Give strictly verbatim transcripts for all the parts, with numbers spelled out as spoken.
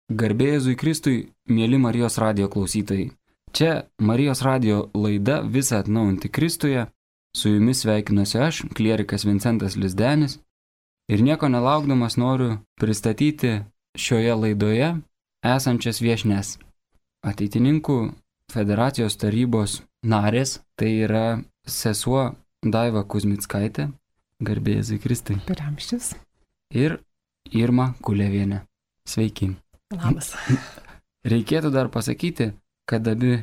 Garbė Jėzui Kristui, mėly Marijos radijo klausytojai. Čia Marijos radijo laida Visa atnaujinti Kristuje. Su jumis sveikinuosi aš, klierikas Vincentas Lizdenis. Ir nieko nelaukdamas noriu pristatyti šioje laidoje esančias viešnes. Ateitininkų federacijos tarybos narės, tai yra sesuo Daiva Kuzmickaitė. Garbė Jėzui Kristui. Per amžius. Ir Irma Kulevienė. Sveiki. Labas. Reikėtų dar pasakyti, kad abi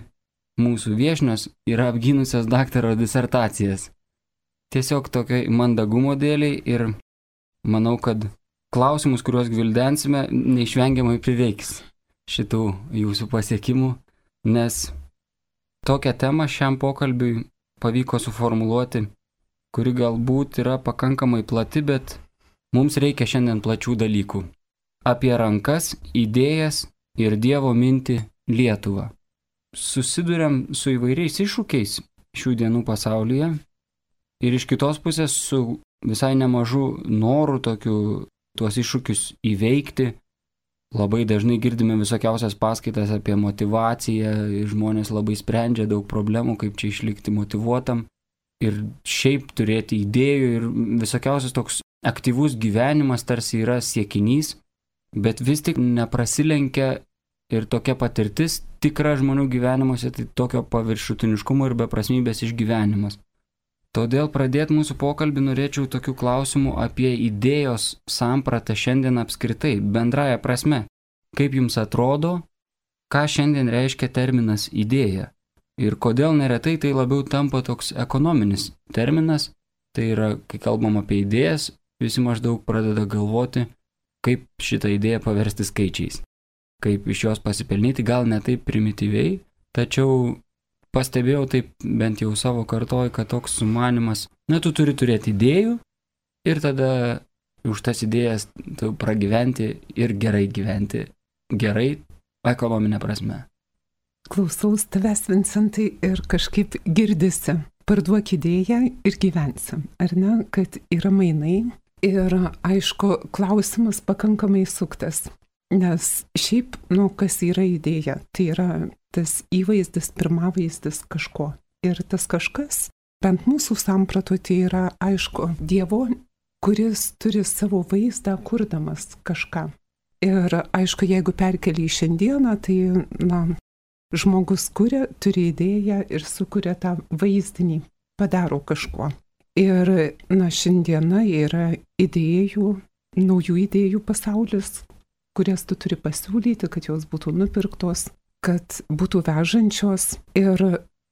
mūsų viešnios yra apgynusios daktaro disertacijas. Tiesiog tokiai mandagumo dėliai ir manau, kad klausimus, kuriuos gvildensime, neišvengiamai prireiks šitų jūsų pasiekimų, nes tokią temą šiam pokalbiui pavyko suformuluoti, kuri galbūt yra pakankamai plati, bet mums reikia šiandien plačių dalykų. Apie rankas, idėjas ir Dievo mintį Lietuvą. Susiduriam su įvairiais iššūkiais šių dienų pasaulyje ir iš kitos pusės su visai nemažu noru tokiu tuos iššūkius įveikti. Labai dažnai girdime visokiausias paskaitas apie motyvaciją ir žmonės labai sprendžia daug problemų, kaip čia išlikti motyvuotam ir šiaip turėti idėjų ir visokiausias toks aktyvus gyvenimas tarsi yra siekinys. Bet vis tik neprasilenkia ir tokia patirtis tikra žmonių gyvenimuose, tai tokio paviršutiniškumo ir beprasmybės išgyvenimas. Todėl pradėti mūsų pokalbį norėčiau tokių klausimų apie idėjos sampratą šiandien apskritai, bendraja prasme. Kaip jums atrodo, ką šiandien reiškia terminas idėja? Ir kodėl neretai tai labiau tampa toks ekonominis terminas, tai yra, kai kalbam apie idėjas, visi maždaug pradeda galvoti, kaip šitą idėją paversti skaičiais, kaip iš jos pasipelnyti, gal ne taip primityviai, tačiau pastebėjau taip bent jau savo kartoj, kad toks sumanimas, na, tu turi turėti idėjų ir tada už tas idėjas tu pragyventi ir gerai gyventi, gerai ekonominė prasme. Klausaus tavęs, Vincentai, ir kažkaip girdisi, parduok idėją ir gyvensi, ar ne, kad yra mainai. Ir aišku, klausimas pakankamai suktas, nes šiaip, nu, kas yra idėja, tai yra tas įvaizdis, pirmavaizdis kažko. Ir tas kažkas, bent mūsų samprato, tai yra, aišku, Dievo, kuris turi savo vaizdą kurdamas kažką. Ir aišku, jeigu perkeli į šiandieną, tai, na, žmogus kuria, turi idėją ir sukuria tą vaizdinį, padaro kažko. Ir, na, šiandiena yra idėjų, naujų idėjų pasaulis, kurias tu turi pasiūlyti, kad jos būtų nupirktos, kad būtų vežančios. Ir,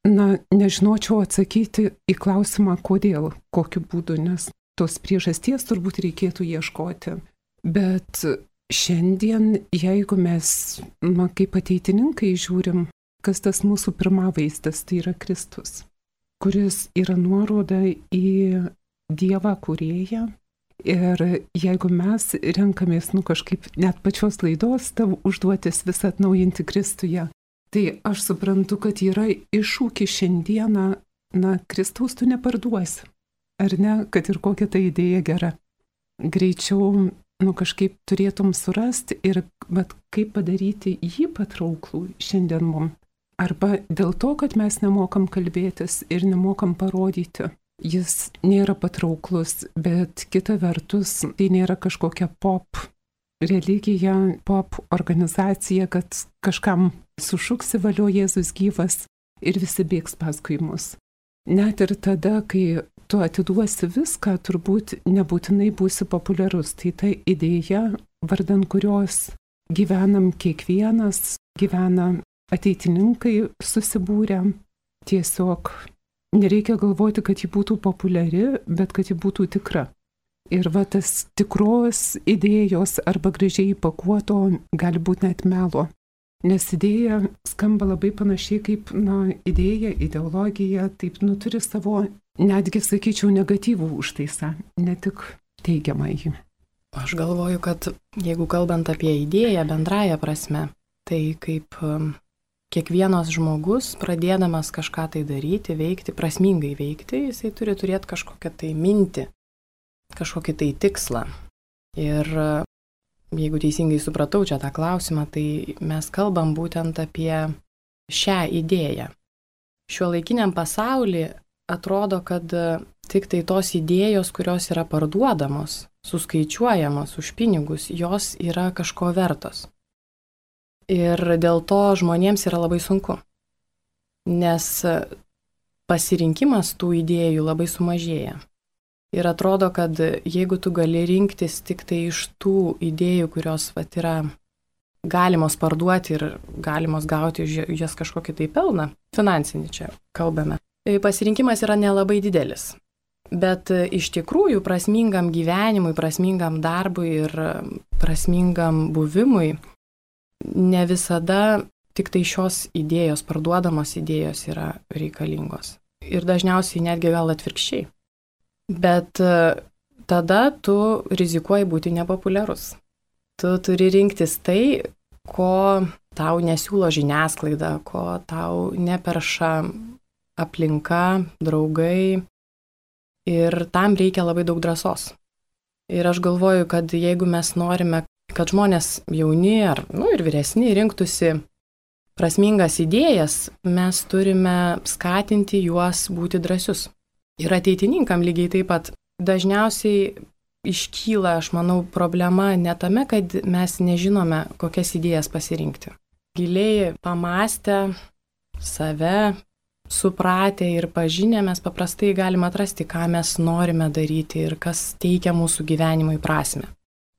na, nežinočiau atsakyti į klausimą, kodėl, kokiu būdu, nes tos priežasties turbūt reikėtų ieškoti. Bet šiandien, jeigu mes, na, kaip ateitininkai žiūrim, kas tas mūsų pirmavaizdas, tai yra Kristus, kuris yra nuoroda į Dievą kūrėją. Ir jeigu mes renkamės, nu, kažkaip net pačios laidos tavo užduotis visą atnaujinti Kristuje, tai aš suprantu, kad yra iššūkis šiandieną, na, Kristaus tu neparduosi, ar ne, kad ir kokia ta idėja gera. Greičiau, nu, kažkaip turėtum surasti ir, bet kaip padaryti jį patrauklų šiandien mums. Arba dėl to, kad mes nemokam kalbėtis ir nemokam parodyti. Jis nėra patrauklus, bet kita vertus, tai nėra kažkokia pop religija, pop organizacija, kad kažkam sušuksi valio Jėzus gyvas ir visi bėgs paskui mus. Net ir tada, kai tu atiduosi viską, turbūt nebūtinai būsi populiarus. Tai ta idėja, vardan kurios gyvenam kiekvienas, gyvena ateitininkai susibūrę, tiesiog nereikia galvoti, kad ji būtų populiari, bet kad ji būtų tikra. Ir va tas tikros idėjos arba gražiai įpakuoto gali būti net melo. Nes idėja skamba labai panašiai kaip, na, idėja, ideologija, taip, nu, turi savo, netgi, sakyčiau, negatyvų užtaisą, ne tik teigiamą jį. Aš galvoju, kad jeigu kalbant apie idėją bendraja prasme, tai kaip kiekvienas žmogus, pradėdamas kažką tai daryti, veikti, prasmingai veikti, jisai turi turėti kažkokią tai mintį, kažkokį tai tikslą. Ir jeigu teisingai supratau čia tą klausimą, tai mes kalbam būtent apie šią idėją. Šiuolaikiniam pasauly atrodo, kad tik tai tos idėjos, kurios yra parduodamos, suskaičiuojamos už pinigus, jos yra kažko vertos. Ir dėl to žmonėms yra labai sunku, nes pasirinkimas tų idėjų labai sumažėja. Ir atrodo, kad jeigu tu gali rinktis tik tai iš tų idėjų, kurios vat, yra galimos parduoti ir galimos gauti už jas kažkokį tai pelną, finansinį čia kalbame, tai pasirinkimas yra nelabai didelis. Bet iš tikrųjų prasmingam gyvenimui, prasmingam darbui ir prasmingam buvimui ne visada tik tai šios idėjos, parduodamos idėjos yra reikalingos. Ir dažniausiai netgi gal atvirkščiai. Bet tada tu rizikuoji būti nepopuliarus. Tu turi rinktis tai, ko tau nesiūlo žiniasklaida, ko tau neperša aplinka, draugai. Ir tam reikia labai daug drąsos. Ir aš galvoju, kad jeigu mes norime, kad žmonės jauni ar nu, ir vyresni rinktųsi prasmingas idėjas, mes turime skatinti juos būti drąsius. Ir ateitininkam lygiai taip pat dažniausiai iškyla, aš manau, problema ne tame, kad mes nežinome, kokias idėjas pasirinkti. Giliai pamastę, save, supratę ir pažinę mes paprastai galime atrasti, ką mes norime daryti ir kas teikia mūsų gyvenimui prasmę.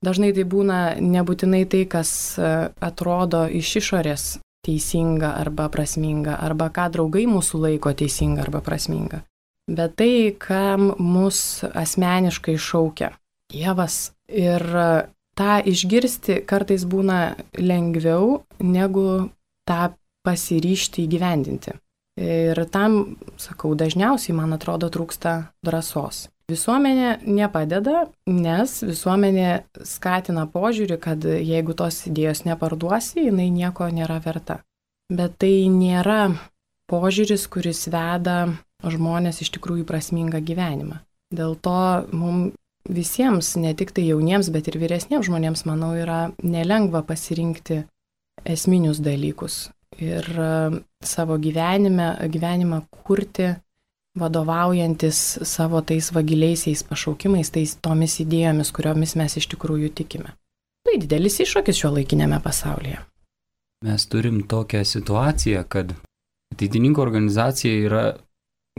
Dažnai tai būna nebūtinai tai, kas atrodo iš išorės teisinga arba prasminga, arba ką draugai mūsų laiko teisinga arba prasminga. Bet tai, kam mus asmeniškai šaukia Dievas. Ir tą išgirsti kartais būna lengviau, negu tą pasiryžti įgyvendinti. Ir tam, sakau, dažniausiai, man atrodo, trūksta drąsos. Visuomenė nepadeda, nes visuomenė skatina požiūrį, kad jeigu tos idėjos neparduosi, jinai nieko nėra verta. Bet tai nėra požiūris, kuris veda žmonės iš tikrųjų prasmingą gyvenimą. Dėl to mums visiems, ne tik tai jauniems, bet ir vyresniems žmonėms, manau, yra nelengva pasirinkti esminius dalykus. Ir savo gyvenime, gyvenimą kurti, vadovaujantis savo tais vagiliaisiais pašaukimais, tais tomis idėjomis, kuriomis mes iš tikrųjų tikime. Tai didelis iššūkis šiuolaikinėme pasaulyje. Mes turim tokią situaciją, kad ateitininkų organizacija yra,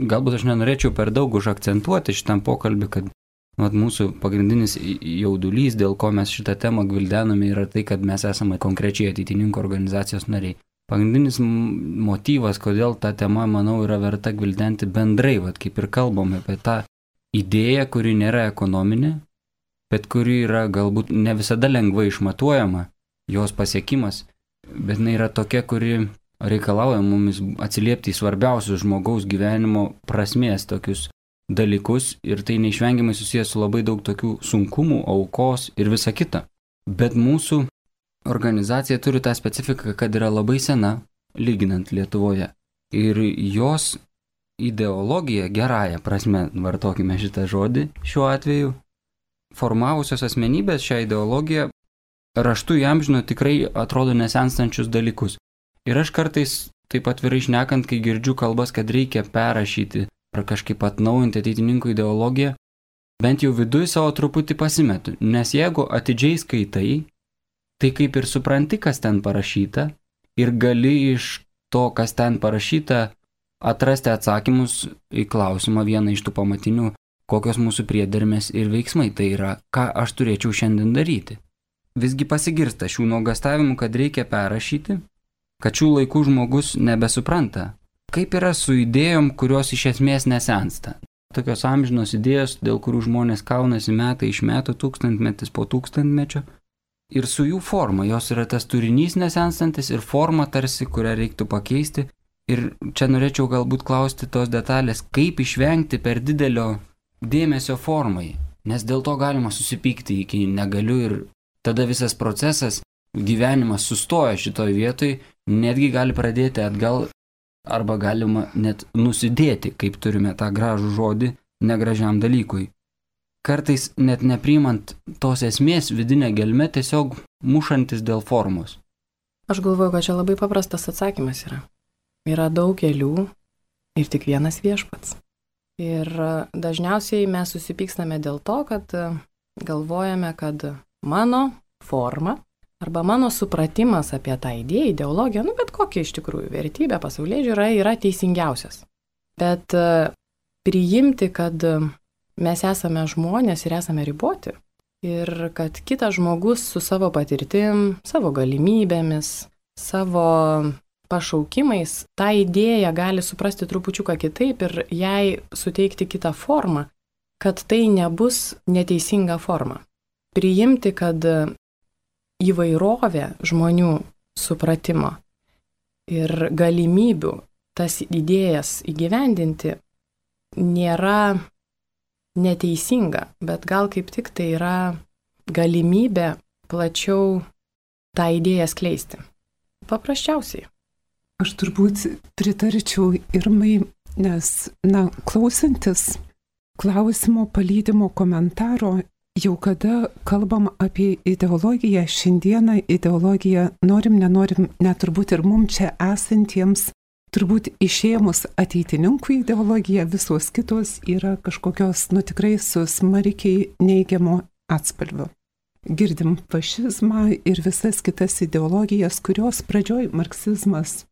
galbūt aš nenorėčiau per daug užakcentuoti šitam pokalbį, kad vat, mūsų pagrindinis jaudulys, dėl ko mes šitą temą gvildename, yra tai, kad mes esame konkrečiai ateitininkų organizacijos nariai. Pagrindinis motyvas, kodėl ta tema, manau, yra verta gvildenti bendrai, vat, kaip ir kalbame apie tą idėją, kuri nėra ekonominė, bet kuri yra galbūt ne visada lengvai išmatuojama, jos pasiekimas, bet jinai yra tokia, kuri reikalauja mumis atsiliepti į svarbiausius žmogaus gyvenimo prasmės tokius dalykus ir tai neišvengiamai susijęs su labai daug tokių sunkumų, aukos ir visa kita. Bet mūsų organizacija turi tą specifiką, kad yra labai sena, lyginant Lietuvoje. Ir jos ideologija, gerąja prasme, vartokime šitą žodį šiuo atveju, formavusios asmenybės šią ideologiją raštu įamžino tikrai atrodo nesenstančius dalykus. Ir aš kartais, taip atvirai šnekant, kai girdžiu kalbas, kad reikia perrašyti ar kažkaip atnaujinti ateitininkų ideologiją, bent jau viduje savo truputį pasimetu. Nes jeigu atidžiai skaitai, tai kaip ir supranti, kas ten parašyta ir gali iš to, kas ten parašyta, atrasti atsakymus į klausimą vieną iš tų pamatinių, kokios mūsų priedermės ir veiksmai, tai yra, ką aš turėčiau šiandien daryti. Visgi pasigirsta šių nuogastavimų, kad reikia perrašyti, kad šių laikų žmogus nebesupranta, kaip yra su idėjom, kurios iš esmės nesensta. Tokios amžinos idėjos, dėl kurių žmonės kaunasi metai iš metų, tūkstantmetis po tūkstantmečio. Ir su jų forma, jos yra tas turinys nesenstantis ir forma tarsi, kurią reiktų pakeisti. Ir čia norėčiau galbūt klausti tos detalės, kaip išvengti per didelio dėmesio formai, nes dėl to galima susipykti iki negaliu ir tada visas procesas, gyvenimas sustoja šitoj vietoj, netgi gali pradėti atgal arba galima net nusidėti, kaip turime tą gražų žodį, negražiam dalykui. kartais net nepriimant tos esmės vidinę gelmę, tiesiog mušantis dėl formos? Aš galvoju, kad čia labai paprastas atsakymas yra. Yra daug kelių ir tik vienas viešpats. Ir dažniausiai mes susipykstame dėl to, kad galvojame, kad mano forma arba mano supratimas apie tą idėją, ideologiją, nu bet kokia iš tikrųjų vertybė, pasaulėžiūra yra teisingiausias. Bet priimti, kad mes esame žmonės ir esame riboti ir kad kitas žmogus su savo patirtim, savo galimybėmis, savo pašaukimais tą idėją gali suprasti trupučiuką kitaip ir jai suteikti kitą formą, kad tai nebus neteisinga forma. Priimti, kad įvairovė žmonių supratimo ir galimybių tas idėjas įgyvendinti nėra neteisinga, bet gal kaip tik tai yra galimybė plačiau tą idėją skleisti. Paprasčiausiai. Aš turbūt pritarčiau Irmai, nes, na, klausantis klausimo palydimo komentaro, jau kada kalbam apie ideologiją, šiandieną ideologiją norim, nenorim, net turbūt ir mums čia esantiems, turbūt išėmus ateitininkų ideologiją, visos kitos yra kažkokios, nu tikrai su smarkiai neigiamo atspalviu. Girdim fašizmą ir visas kitas ideologijas, kurios pradžioj marksizmas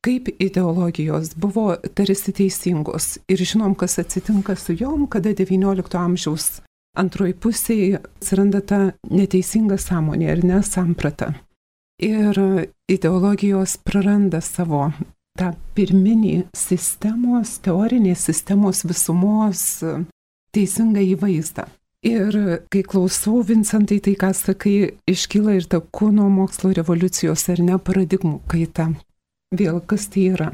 kaip ideologijos buvo tarsi teisingos. Ir žinom, kas atsitinka su jom, kada devyniolikto amžiaus antroji pusėje atsiranda ta neteisinga sąmonė ir nesamprata. Ir ideologijos praranda savo tą pirminį sistemos, teorinės sistemos visumos teisingą įvaizdą. Ir kai klausau, Vincentai, tai ką sakai, iškyla ir ta kūno mokslo revoliucijos ar ne paradigmų kaita. Vėl kas tai yra?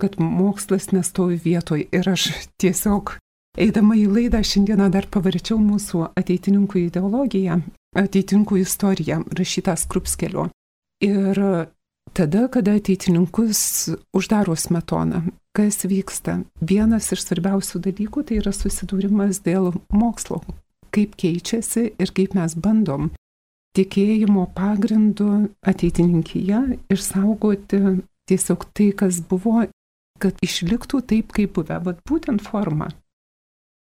Kad mokslas nestovi vietoj ir aš tiesiog eidama į laidą šiandieną dar pavarčiau mūsų ateitininkų ideologiją, ateitininkų istoriją, rašytą Skrupskelio. Ir tada, kada ateitininkus uždaro Smetoną, kas vyksta? Vienas iš svarbiausių dalykų tai yra susidūrimas dėl mokslo, kaip keičiasi ir kaip mes bandom tikėjimo pagrindu ateitininkyje išsaugoti tiesiog tai, kas buvo, kad išliktų taip, kaip buvę, bet būtent forma.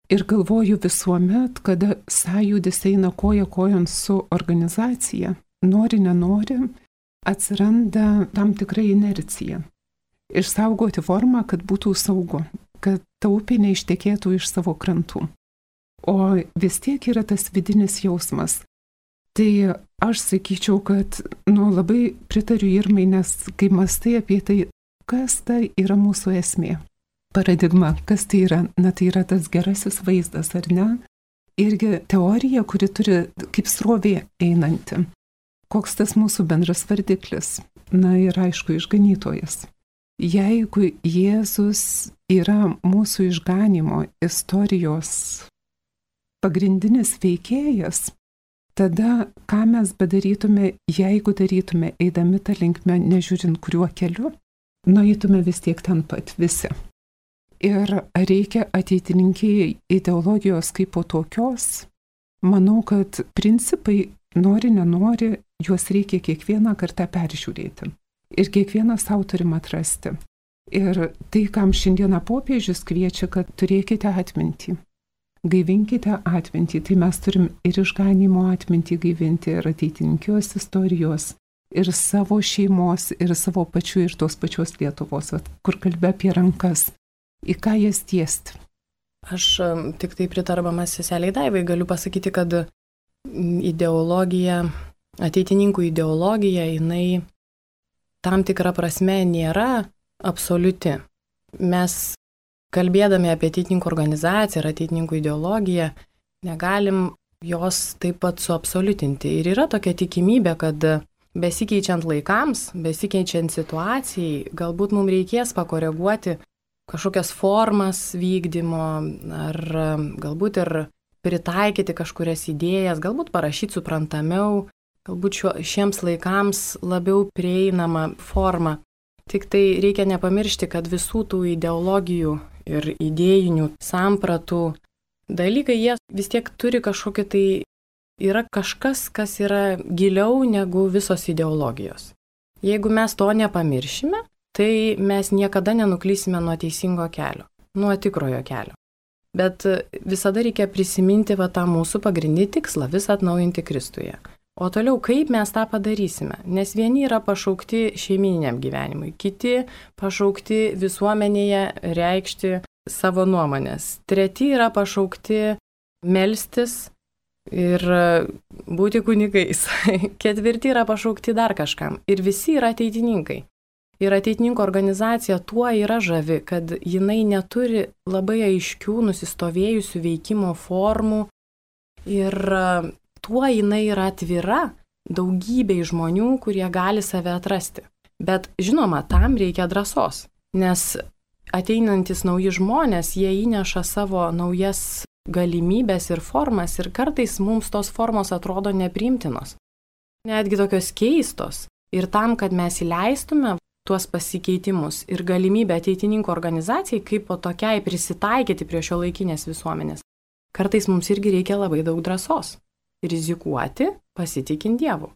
Ir galvoju visuomet, kada sąjūdis eina koja kojon su organizacija, nori, nenori, atsiranda tam tikra inercija. Išsaugoti formą, kad būtų saugu, kad taupė neištekėtų iš savo krantų. O vis tiek yra tas vidinis jausmas. Tai aš sakyčiau, kad nu, labai pritariu Irmai, nes kai mąstai apie tai, kas tai yra mūsų esmė. Paradigma, kas tai yra? Na tai yra tas gerasis vaizdas, ar ne? Irgi teorija, kuri turi kaip srovė einanti. Koks tas mūsų bendras vardiklis? Na ir aišku, išganytojas. Jeigu Jėzus yra mūsų išganimo istorijos pagrindinis veikėjas, tada ką mes bedarytume, jeigu darytume, eidami tą linkmę, nežiūrint kuriuo keliu, nueitume vis tiek ten pat visi. Ir reikia ateitininkijai ideologijos kaip po tokios. Manau, kad principai, nori, nenori, juos reikia kiekvieną kartą peržiūrėti. Ir kiekvieną savo turim atrasti. Ir tai, kam šiandieną popiežius kviečia, kad turėkite atmintį. Gaivinkite atmintį. Tai mes turim ir išganimo atmintį gaivinti, ir ateitininkijos istorijos, ir savo šeimos, ir savo pačių, ir tos pačios Lietuvos, kur kalbė apie rankas. Į ką jas tiesti? Aš tik tai pritarbamas seseliai Daivai galiu pasakyti, kad ideologija, ateitininkų ideologija, jinai tam tikra prasme nėra absoliuti. Mes, kalbėdami apie ateitininkų organizaciją ir ateitininkų ideologiją, negalim jos taip pat suabsoliutinti. Ir yra tokia tikimybė, kad besikeičiant laikams, besikeičiant situacijai, galbūt mums reikės pakoreguoti kažkokias formas vykdymo, ar galbūt ir pritaikyti kažkurias idėjas, galbūt parašyti suprantamiau, galbūt šio, šiems laikams labiau prieinama forma. Tik tai reikia nepamiršti, kad visų tų ideologijų ir idėjinių sampratų dalykai, jie vis tiek turi kažkokį tai, yra kažkas, kas yra giliau negu visos ideologijos. Jeigu mes to nepamiršime, tai mes niekada nenuklysime nuo teisingo kelio, nuo tikrojo kelio. Bet visada reikia prisiminti va tą mūsų pagrindinį tikslą, visą atnaujinti Kristuje. O toliau, kaip mes tą padarysime? Nes vieni yra pašaukti šeimininiam gyvenimui, kiti pašaukti visuomenėje reikšti savo nuomonės. Treti yra pašaukti melstis ir būti kunigais. Ketvirti yra pašaukti dar kažkam. Ir visi yra ateitininkai. Ir ateitininkų organizacija tuo yra žavi, kad jinai neturi labai aiškių nusistovėjusių veikimo formų ir tuo jinai yra atvira daugybei žmonių, kurie gali save atrasti. Bet žinoma, tam reikia drąsos, nes ateinantis nauji žmonės, jie įneša savo naujas galimybės ir formas ir kartais mums tos formos atrodo nepriimtinos, netgi tokios keistos. Ir tam, kad mes įleistume tuos pasikeitimus ir galimybę ateitininkų organizacijai, kaip po tokiai prisitaikyti prie šio laikinės visuomenės, kartais mums irgi reikia labai daug drąsos. Rizikuoti, pasitikint Dievu,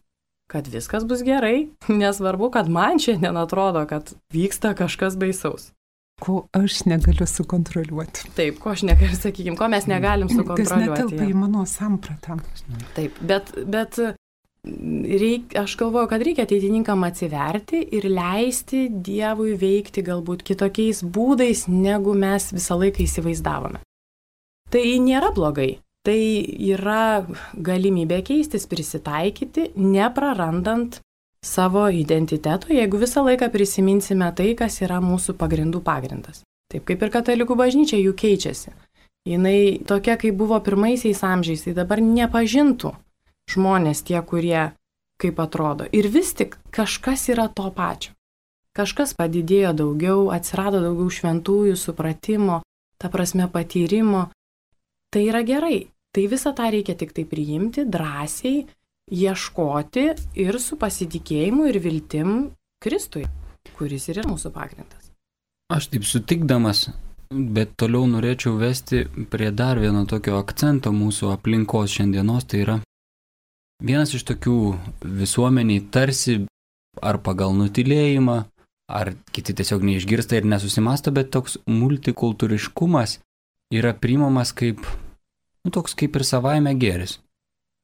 kad viskas bus gerai, nesvarbu, kad man šiandien atrodo, kad vyksta kažkas baisaus. Ko aš negaliu sukontroliuoti. Taip, ko aš negaliu, sakykime, ko mes negalim sukontroliuoti. Kas netelpa į mano sampratą. Taip, bet, bet reik, aš galvoju, kad reikia ateitininkam atsiverti ir leisti Dievui veikti galbūt kitokiais būdais, negu mes visą laiką įsivaizdavome. Tai nėra blogai. Tai yra galimybė keistis, prisitaikyti, neprarandant savo identiteto, jeigu visą laiką prisiminsime tai, kas yra mūsų pagrindų pagrindas. Taip kaip ir katalikų bažnyčia jų keičiasi. Jinai tokia, kaip buvo pirmaisiais amžiais, tai dabar nepažintų žmonės tie, kurie kaip atrodo. Ir vis tik kažkas yra to pačio. Kažkas padidėjo daugiau, atsirado daugiau šventųjų supratimo, ta prasme patyrimo. Tai yra gerai. Tai visą tą reikia tik tai priimti, drąsiai, ieškoti ir su pasitikėjimu ir viltim Kristui, kuris ir yra mūsų pagrindas. Aš taip sutikdamas, bet toliau norėčiau vesti prie dar vieno tokio akcento mūsų aplinkos šiandienos, tai yra vienas iš tokių visuomeniai tarsi ar pagal nutilėjimą, ar kiti tiesiog neišgirsta ir nesusimasta, bet toks multikultūriškumas yra priimamas kaip, nu, toks kaip ir savaime gėris.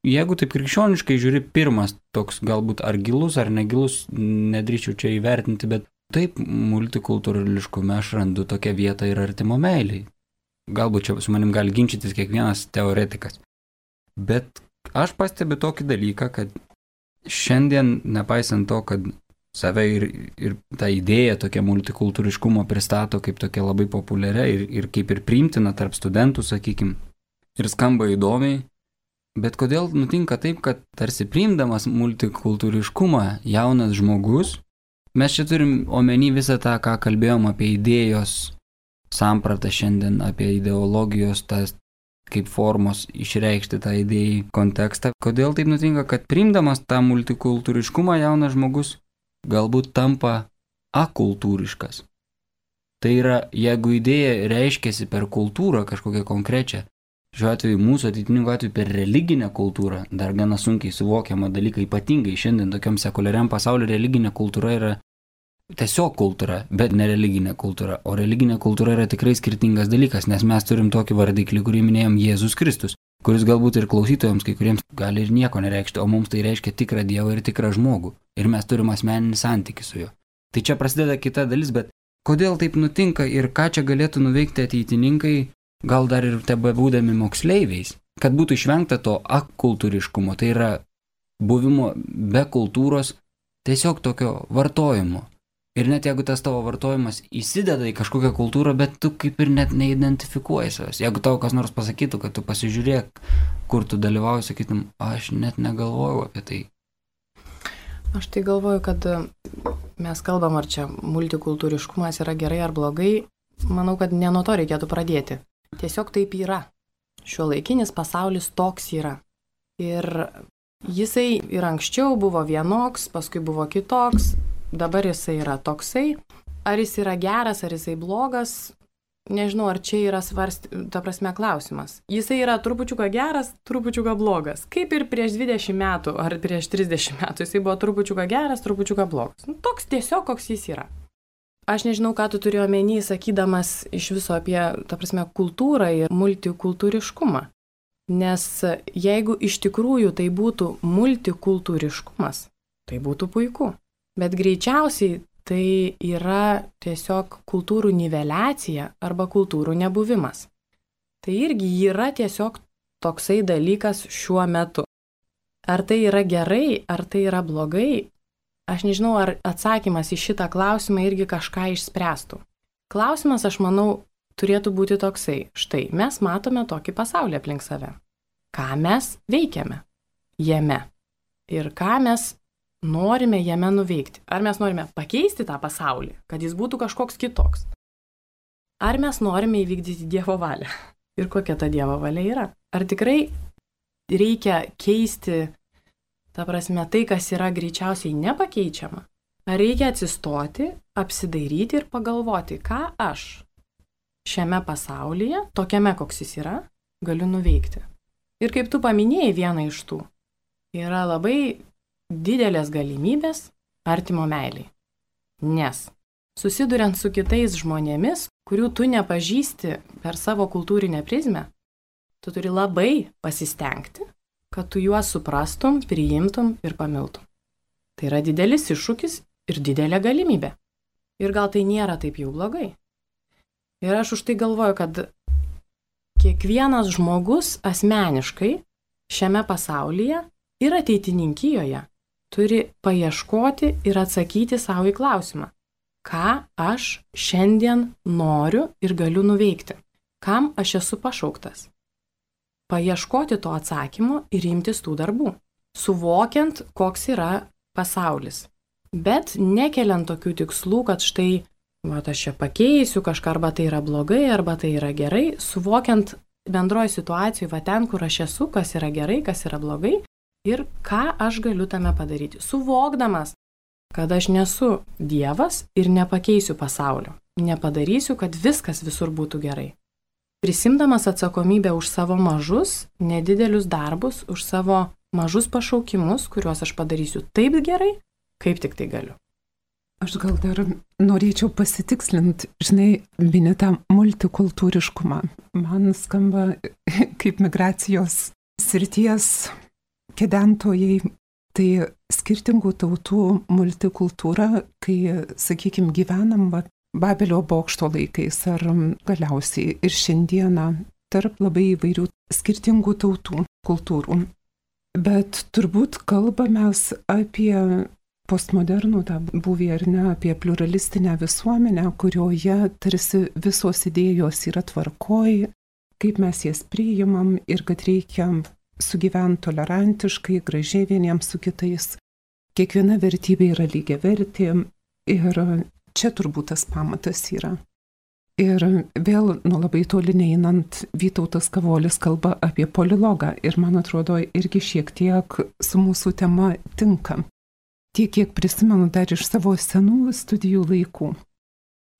Jeigu taip krikščioniškai žiūri, pirmas toks galbūt ar gilus, ar negilus, nedrįčiau čia įvertinti, bet taip multikultūriškume aš randu tokią vietą ir artimo meiliai. Galbūt čia su manim gali ginčytis kiekvienas teoretikas. Bet aš pastebiu tokį dalyką, kad šiandien, nepaisant to, kad save ir, ir tą idėją tokia multikultūriškumo pristato kaip tokia labai populiaria ir, ir kaip ir priimtina tarp studentų, sakykim, ir skamba įdomiai, bet kodėl nutinka taip, kad tarsi priimdamas multikultūriškumą jaunas žmogus, mes čia turim omeny visą tą, ką kalbėjom apie idėjos sampratą šiandien, apie ideologijos tas kaip formos išreikšti tą idėjai kontekstą. Kodėl taip nutinka, kad priimdamas tą multikultūriškumą jaunas žmogus galbūt tampa akultūriškas. Tai yra, jeigu idėja reiškiasi per kultūrą kažkokią konkrečią, šiuo atveju mūsų ateitininkų atveju per religinę kultūrą, dar gana sunkiai suvokiama dalykai, ypatingai šiandien tokiam sekuliariam pasauliu religinė kultūra yra tiesiog kultūra, bet ne religinė kultūra. O religinė kultūra yra tikrai skirtingas dalykas, nes mes turim tokį vardiklį, kurį minėjom Jėzus Kristus, kuris galbūt ir klausytojams, kai kuriems gali ir nieko nereikšti, o mums tai reiškia tikrą Dievą ir tikrą žmogų. Ir mes turim asmeninį santykį su juo. Tai čia prasideda kita dalis, bet kodėl taip nutinka ir ką čia galėtų nuveikti ateitininkai, gal dar ir tebebūdami moksleiviais, kad būtų išvengta to akultūriškumo, tai yra buvimo be kultūros, tiesiog tokio vartojimo. Ir net jeigu tas tavo vartojimas įsideda į kažkokią kultūrą, bet tu kaip ir net neidentifikuoji savęs. Jeigu tau kas nors pasakytų, kad tu pasižiūrėk, kur tu dalyvauji, sakytum, aš net negalvojau apie tai. Aš tai galvoju, kad mes kalbam, ar čia multikultūriškumas yra gerai ar blogai. Manau, kad ne nuo to reikėtų pradėti. Tiesiog taip yra. Šiuolaikinis pasaulis toks yra. Ir jisai ir anksčiau buvo vienoks, paskui buvo kitoks. Dabar jisai yra toksai, ar jis yra geras, ar jisai blogas, nežinau, ar čia yra svarst, ta prasme, klausimas. Jisai yra trupučiuką geras, trupučiuką blogas. Kaip ir prieš dvidešimt metų ar prieš trisdešimt metų jisai buvo trupučiuką geras, trupučiuką blogas. Nu, toks tiesiog, koks jis yra. Aš nežinau, ką tu turi omeny, sakydamas iš viso apie, ta prasme, kultūrą ir multikultūriškumą. Nes jeigu iš tikrųjų tai būtų multikultūriškumas, tai būtų puiku. Bet greičiausiai tai yra tiesiog kultūrų niveliacija arba kultūrų nebuvimas. Tai irgi yra tiesiog toksai dalykas šiuo metu. Ar tai yra gerai, ar tai yra blogai, aš nežinau, ar atsakymas į šitą klausimą irgi kažką išspręstų. Klausimas, aš manau, turėtų būti toksai. Štai, mes matome tokį pasaulį aplink save. Ką mes veikiame jame? Ir ką mes norime jame nuveikti? Ar mes norime pakeisti tą pasaulį, kad jis būtų kažkoks kitoks? Ar mes norime įvykdyti Dievo valią? Ir kokia ta Dievo valia yra? Ar tikrai reikia keisti, ta prasme, tai, kas yra greičiausiai nepakeičiama? Ar reikia atsistoti, apsidairyti ir pagalvoti, ką aš šiame pasaulyje, tokiame, koks jis yra, galiu nuveikti? Ir kaip tu paminėjai vieną iš tų, yra labai didelės galimybės artimo meiliai. Nes susiduriant su kitais žmonėmis, kurių tu nepažįsti per savo kultūrinę prizmę, tu turi labai pasistengti, kad tu juos suprastum, priimtum ir pamiltum. Tai yra didelis iššūkis ir didelė galimybė. Ir gal tai nėra taip jau blogai. Ir aš už tai galvoju, kad kiekvienas žmogus asmeniškai šiame pasaulyje ir ateitininkijoje turi paieškoti ir atsakyti savo į klausimą, ką aš šiandien noriu ir galiu nuveikti, kam aš esu pašauktas. Paieškoti to atsakymo ir imtis tų darbų, suvokiant, koks yra pasaulis. Bet nekeliant tokių tikslų, kad štai, va, aš čia pakeisiu kažką, arba tai yra blogai, arba tai yra gerai, suvokiant bendroje situacijoje, va ten, kur aš esu, kas yra gerai, kas yra blogai ir ką aš galiu tame padaryti. Suvokdamas, kad aš nesu Dievas ir nepakeisiu pasaulio, nepadarysiu, kad viskas visur būtų gerai. Prisimdamas atsakomybę už savo mažus, nedidelius darbus, už savo mažus pašaukimus, kuriuos aš padarysiu taip gerai, kaip tik tai galiu. Aš gal dar norėčiau pasitikslinti, žinai, mini tą multikultūriškumą. Man skamba kaip migracijos srities kedentojai, tai skirtingų tautų multikultūra, kai, sakykime, gyvenam va, Babelio bokšto laikais ar galiausiai ir šiandieną tarp labai įvairių skirtingų tautų kultūrų. Bet turbūt kalbamės apie postmodernų tą buvį ar ne, apie pluralistinę visuomenę, kurioje tarsi visos idėjos yra tvarkoj, kaip mes jas priimam ir kad reikia sugyventi tolerantiškai, gražiai vieniems su kitais. Kiekviena vertybė yra lygiavertė ir čia turbūt tas pamatas yra. Ir vėl nuo labai toli neinant, Vytautas Kavolis kalba apie polilogą ir man atrodo irgi šiek tiek su mūsų tema tinka. Tiek, kiek prisimenu dar iš savo senų studijų laikų.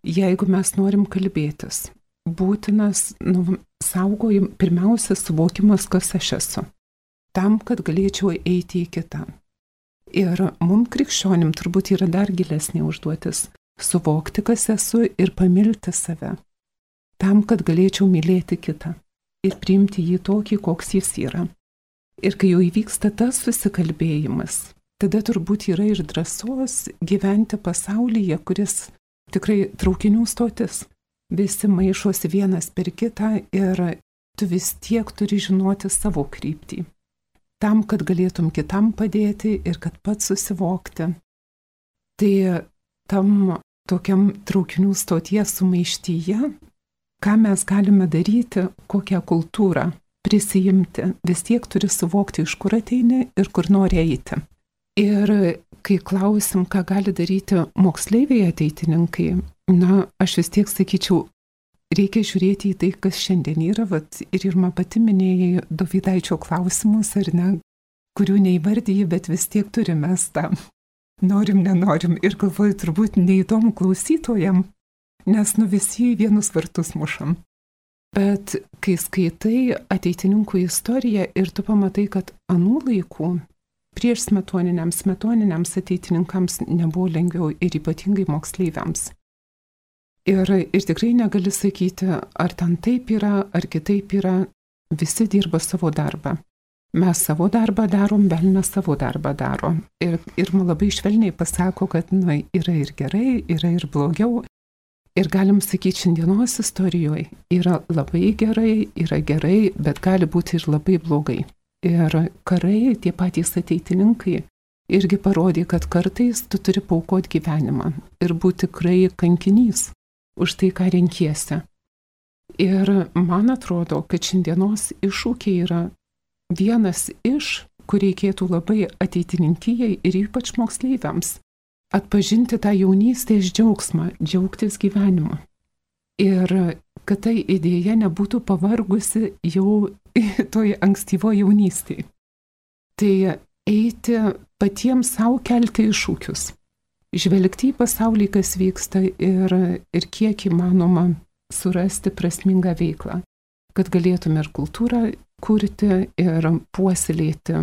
Jeigu mes norim kalbėtis, būtinas nu, saugojim pirmiausia suvokimas, kas aš esu, tam, kad galėčiau eiti į kitą. Ir mums krikščionim turbūt yra dar gilesnė užduotis suvokti, kas esu ir pamilti save, tam, kad galėčiau mylėti kitą ir priimti jį tokį, koks jis yra. Ir kai jau įvyksta tas susikalbėjimas, tada turbūt yra ir drąsos gyventi pasaulyje, kuris tikrai traukinių stotis. Visi maišosi vienas per kitą ir tu vis tiek turi žinoti savo kryptį. Tam, kad galėtum kitam padėti ir kad pats susivokti. Tai tam tokiam traukinių stoties sumaištyje, ką mes galime daryti, kokią kultūrą prisijimti, vis tiek turi suvokti, iš kur ateini ir kur nori eiti. Ir kai klausim, ką gali daryti moksleiviai ateitininkai, na, aš vis tiek sakyčiau, reikia žiūrėti į tai, kas šiandien yra, vat, ir Irma pati minėjai Dovydaičio klausimus, ar ne, kurių neįvardyji, bet vis tiek turime tą. Norim, nenorim ir galvoju, turbūt neįdomu klausytojam, nes nu visi į vienus vartus mušam. Bet kai skaitai ateitininkų istoriją ir tu pamatai, kad anų laikų prieš smetoniniams, smetoniniams ateitininkams nebuvo lengviau ir ypatingai moksleiviams. Ir, ir tikrai negali sakyti, ar ten taip yra, ar kitaip yra, visi dirba savo darbą. Mes savo darbą darom, velnias savo darbą daro. Ir, ir man labai švelniai pasako, kad nu, yra ir gerai, yra ir blogiau. Ir galim sakyti, šiandienos istorijoje yra labai gerai, yra gerai, bet gali būti ir labai blogai. Ir karai, tie patys ateitininkai, irgi parodė, kad kartais tu turi paaukoti gyvenimą ir būti tikrai kankinys už tai, ką renkiesi. Ir man atrodo, kad šiandienos iššūkiai yra vienas iš, kur reikėtų labai ateitininkijai ir ypač moksleiviams atpažinti tą jaunystės džiaugsmą, džiaugtis gyvenimu. Ir kad tai idėja nebūtų pavargusi jau toj ankstyvoje jaunystėje. Tai eiti patiems savo kelti iššūkius, žvelgti į pasaulį, kas vyksta ir, ir kiek įmanoma surasti prasmingą veiklą, kad galėtume ir kultūrą kurti ir puoselėti.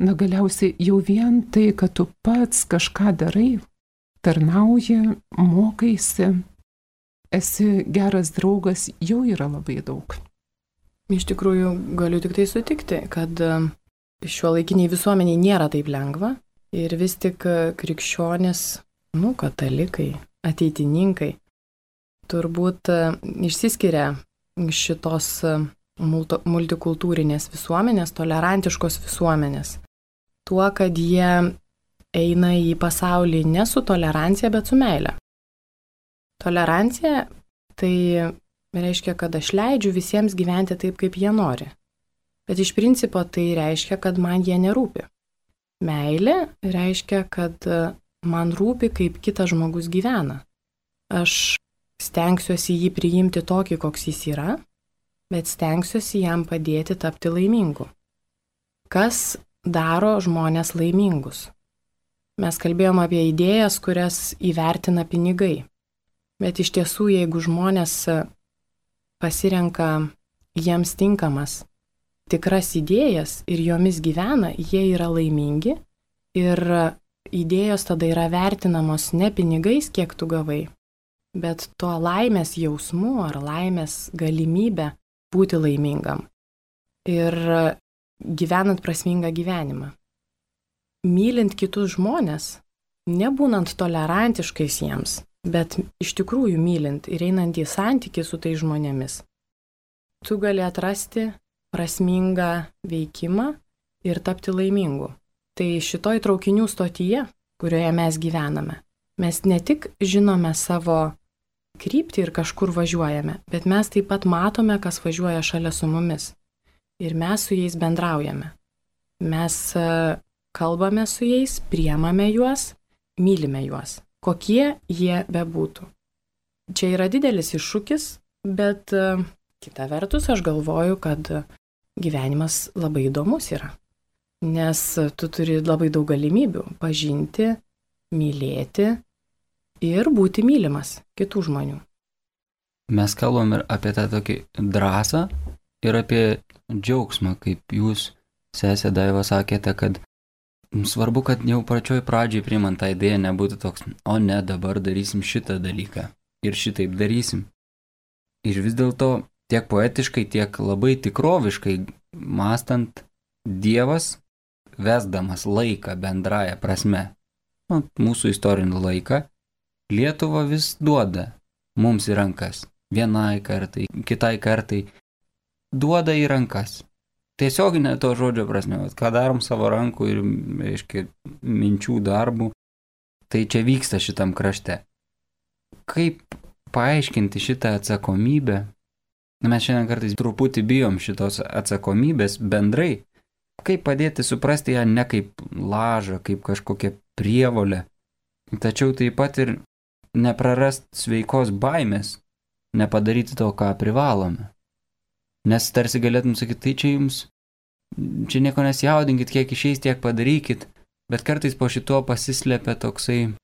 Na galiausiai jau vien tai, kad tu pats kažką darai, tarnauji, mokaisi, esi geras draugas, jau yra labai daug. Iš tikrųjų, galiu tik tai sutikti, kad šiuolaikiniai visuomeniai nėra taip lengva ir vis tik krikščionys, nu, katalikai, ateitininkai, turbūt išsiskiria šitos multikultūrinės visuomenės, tolerantiškos visuomenės. Tuo, kad jie eina į pasaulį ne su tolerancija, bet su meile. Tolerancija tai reiškia, kad aš leidžiu visiems gyventi taip, kaip jie nori. Bet iš principo tai reiškia, kad man jie nerūpi. Meilė reiškia, kad man rūpi, kaip kitas žmogus gyvena. Aš stengsiuosi jį priimti tokį, koks jis yra, bet stengsiuosi jam padėti tapti laimingu. Kas daro žmonės laimingus? Mes kalbėjom apie idėjas, kurias įvertina pinigai. Bet iš tiesų, jeigu žmonės pasirenka jiems tinkamas tikras idėjas ir jomis gyvena, jie yra laimingi ir idėjos tada yra vertinamos ne pinigais, kiek tu gavai, bet tuo laimės jausmu ar laimės galimybę būti laimingam ir gyvenant prasmingą gyvenimą. Mylint kitus žmonės, nebūnant tolerantiškais jiems, bet iš tikrųjų mylint ir einant į santykį su tai žmonėmis, tu gali atrasti prasmingą veikimą ir tapti laimingu. Tai šitoj traukinių stotyje, kurioje mes gyvename, mes ne tik žinome savo kryptį ir kažkur važiuojame, bet mes taip pat matome, kas važiuoja šalia su mumis. Ir mes su jais bendraujame. Mes kalbame su jais, priemame juos, mylime juos, kokie jie bebūtų. Čia yra didelis iššūkis, bet kita vertus aš galvoju, kad gyvenimas labai įdomus yra. Nes tu turi labai daug galimybių pažinti, mylėti ir būti mylimas kitų žmonių. Mes kalbam ir apie tą tokį drąsą ir apie džiaugsmą, kaip jūs, sesė Daiva, sakėte, kad svarbu, kad jau pačioj pradžiai priimant tą idėją nebūtų toks, o ne, dabar darysim šitą dalyką ir šitaip darysim. Ir vis dėlto tiek poetiškai, tiek labai tikroviškai mąstant, Dievas, vesdamas laiką bendraja prasme, nu, mūsų istorinį laiką, Lietuva vis duoda mums į rankas. Vienai kartai, kitai kartai duoda į rankas. Tiesioginė to žodžio prasme, ką darom savo rankų ir, reiškia, minčių darbų, tai čia vyksta šitam krašte. Kaip paaiškinti šitą atsakomybę? Mes šiandien kartais truputį bijom šitos atsakomybės bendrai. Kaip padėti suprasti ją ne kaip lažą, kaip kažkokią prievolę, tačiau taip pat ir neprarast sveikos baimės, nepadaryti to, ką privalome. Nes tarsi galėtum sakyti, tai čia jums, čia nieko nesijaudinkit, kiek išeis, tiek padarykit, bet kartais po šituo pasislepia toksai